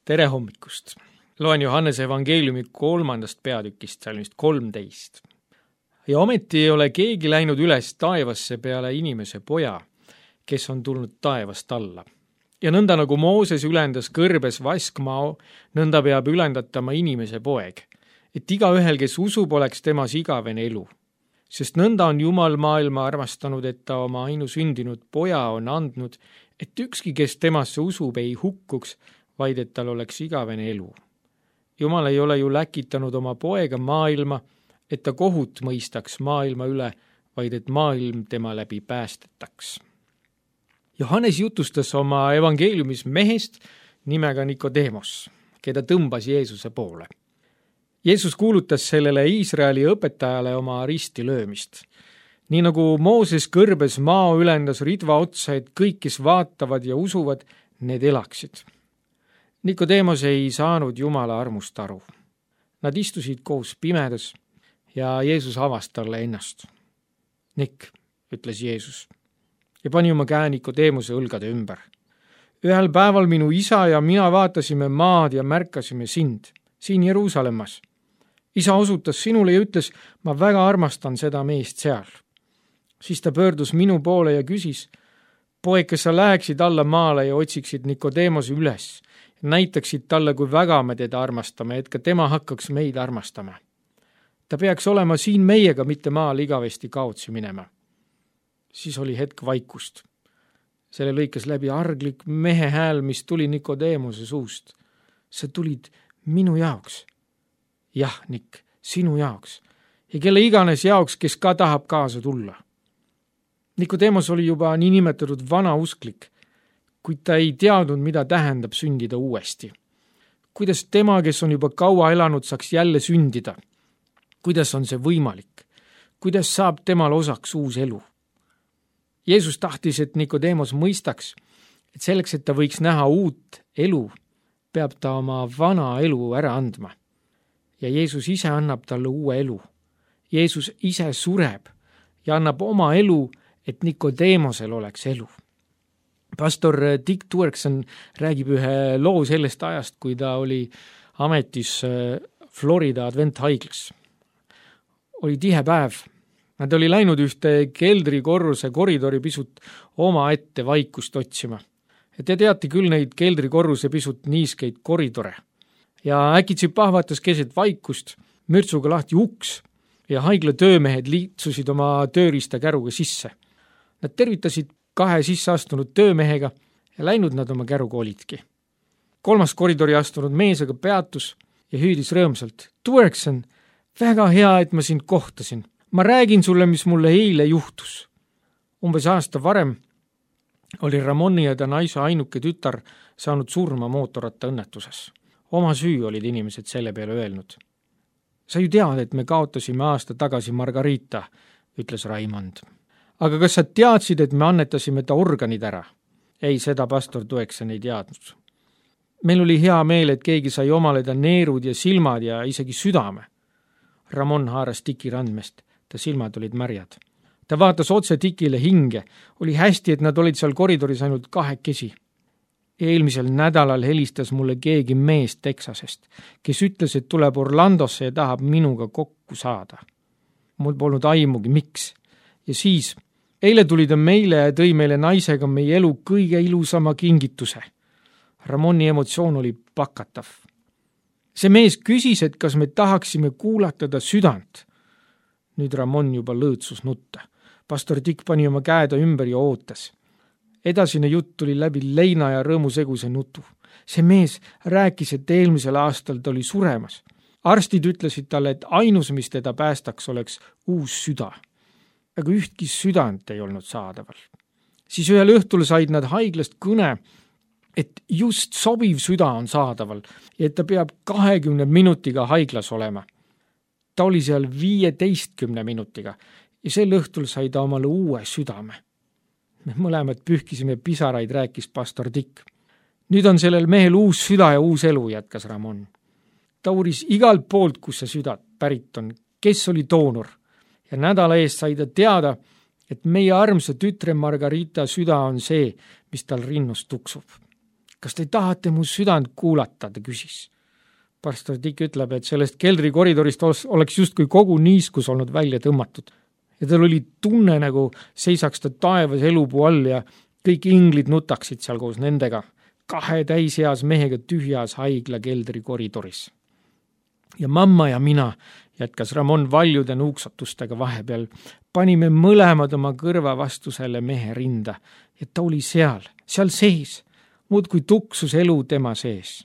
Tere hommikust! Loen Johannese evangeeliumi 3. peatükist, salmist 13. Ja ometi ei ole keegi läinud üles taevasse peale inimese poja, kes on tulnud taevast alla. Ja nõnda nagu Mooses ülendas kõrbes vaskmao, nõnda peab ülendatama inimese poeg, et igaühel, kes usub, oleks temas igavene elu. Sest nõnda on Jumal maailma armastanud, et ta oma ainusündinud poja on andnud, et ükski, kes temasse usub, ei hukkuks, vaid et tal oleks igavene elu. Jumal ei ole ju läkitanud oma poega maailma, et ta kohut mõistaks maailma üle, vaid et maailm tema läbi päästetaks. Johannes jutustas oma evangeeliumis mehest nimega Nikodeemos, keda tõmbas Jeesuse poole. Jeesus kuulutas sellele Iisraeli õpetajale oma risti löömist. Nii nagu Mooses kõrbes mao ülendas ridva otsa, et kõik, kes vaatavad ja usuvad, need elaksid. Nikodeemos ei saanud Jumala armust aru. Nad istusid koos pimedas ja Jeesus avas talle ennast. Nik, ütles Jeesus, ja pani oma käe Nikodeemose õlgade ümber. Ühel päeval minu isa ja mina vaatasime maad ja märkasime sind, siin Jeruusalemmas. Isa osutas sinule ja ütles, ma väga armastan seda meest seal. Siis ta pöördus minu poole ja küsis, poeg, kas sa läheksid alla maale ja otsiksid Nikodeemose üles, näitaksid talle, kui väga me teda armastame, et ka tema hakkaks meid armastama. Ta peaks olema siin meiega, mitte maal igavesti kaotsi minema. Siis oli hetk vaikust. Selle lõikas läbi arglik mehe hääl, mis tuli Nikodeemose suust. Sa tulid minu jaoks. Jah, Nik, sinu jaoks. Ja kelle iganes jaoks, kes ka tahab kaasa tulla. Nikodeemos oli juba niinimetatud vanausklik, kuid ta ei teadnud, mida tähendab sündida uuesti. Kuidas tema, kes on juba kaua elanud, saaks jälle sündida? Kuidas on see võimalik? Kuidas saab temal osaks uus elu? Jeesus tahtis, et Nikodeemos mõistaks, et selleks, et ta võiks näha uut elu, peab ta oma vana elu ära andma. Ja Jeesus ise annab talle uue elu. Jeesus ise sureb ja annab oma elu, et Nikodeemosel oleks elu. Pastor Dick Tuerkson räägib ühe loo sellest ajast, kui ta oli ametis Florida Adventhaiglas. Oli tihe päev. Nad oli läinud ühte keldrikorruse koridori pisut oma ette vaikust otsima. Ja te teate küll neid keldrikorruse pisut niiskeid koridore. Ja äkitsi pahvatas keset vaikust, mürtsuga lahti uks ja haigla töömehed liitsusid oma tööriista käruga sisse. Nad tervitasid 2 sisse astunud töömehega ja läinud nad oma käruga olidki. 3. koridori astunud mees aga peatus ja hüüdis rõõmsalt. Tuerkson, väga hea, et ma sind kohtasin. Ma räägin sulle, mis mulle eile juhtus. Umbes aasta varem oli Ramoni ja ta naise ainuke tütar saanud surma mootorratta õnnetuses. Oma süü olid inimesed selle peale öelnud. Sa ju tead, et me kaotasime aasta tagasi Margarita, ütles Raimond. Aga kas sa teadsid, et me annetasime ta organid ära? Ei, seda pastor Tuerkson ei teadnud. Meil oli hea meel, et keegi sai omaleda neerud ja silmad ja isegi südame. Ramon haaras Tiki randmest. Ta silmad olid märjad. Ta vaatas otse Tikile hinge. Oli hästi, et nad olid seal koridoris ainult 2. Eelmisel nädalal helistas mulle keegi mees Texasest, kes ütles, et tuleb Orlandosse ja tahab minuga kokku saada. Mul polnud aimugi, miks. Ja siis eile tuli ta meile ja tõi meile naisega meie elu kõige ilusama kingituse. Ramoni emotsioon oli pakatav. See mees küsis, et kas me tahaksime kuulata ta südant. Nüüd Ramon juba lõõtsus nutta. Pastor Dick pani oma käeda ümber ja ootas. Edasine jutt tuli läbi leina ja rõõmuseguse nutu. See mees rääkis, et eelmisel aastal ta oli suremas. Arstid ütlesid talle, et ainus, mis teda päästaks, oleks uus süda. Aga ühtki südant ei olnud saadaval. Siis ühel õhtul said nad haiglast kõne, et just sobiv süda on saadaval ja et ta peab 20 minutiga haiglas olema. Ta oli seal 15 minutiga ja sel õhtul sai ta omale uue südame. Me mõlemad pühkisime pisaraid, rääkis pastor Dick. Nüüd on sellel mehel uus süda ja uus elu, jätkas Ramon. Ta uuris igalt poolt, kus see süda pärit on, kes oli doonor. Ja nädala eest sai ta teada, et meie armsa tütre Margarita süda on see, mis tal rinnus tuksub. kas te tahate mu südant kuulata, ta küsis. Pastor Dick ütleb, et sellest keldrikoridorist oleks justkui kogu niiskus olnud välja tõmmatud. Ja tal oli tunne, nagu seisaks ta taevas elupuu all ja kõik inglid nutaksid seal koos nendega, 2 täiseas mehega tühjas haigla keldrikoridoris. Ja mamma ja mina, jätkas Ramon valjude nuuksatustega vahepeal, panime mõlemad oma kõrva vastu selle mehe rinda ja ta oli seal sees, muudkui tuksus elu tema sees.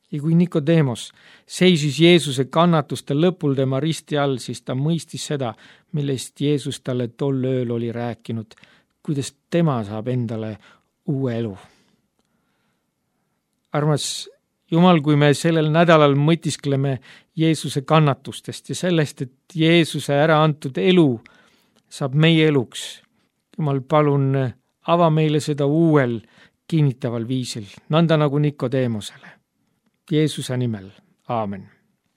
Ja kui Nikodeemos seisis Jeesuse kannatuste lõpul tema risti all, siis ta mõistis seda, millest Jeesus talle tol ööl oli rääkinud, kuidas tema saab endale uue elu. Armas Jumal, kui me sellel nädalal mõtiskleme Jeesuse kannatustest ja sellest, et Jeesuse ära antud elu saab meie eluks. Jumal, palun ava meile seda uuel kinnitaval viisil, nõnda nagu Nikodeemosele. Jeesuse nimel. Aamen.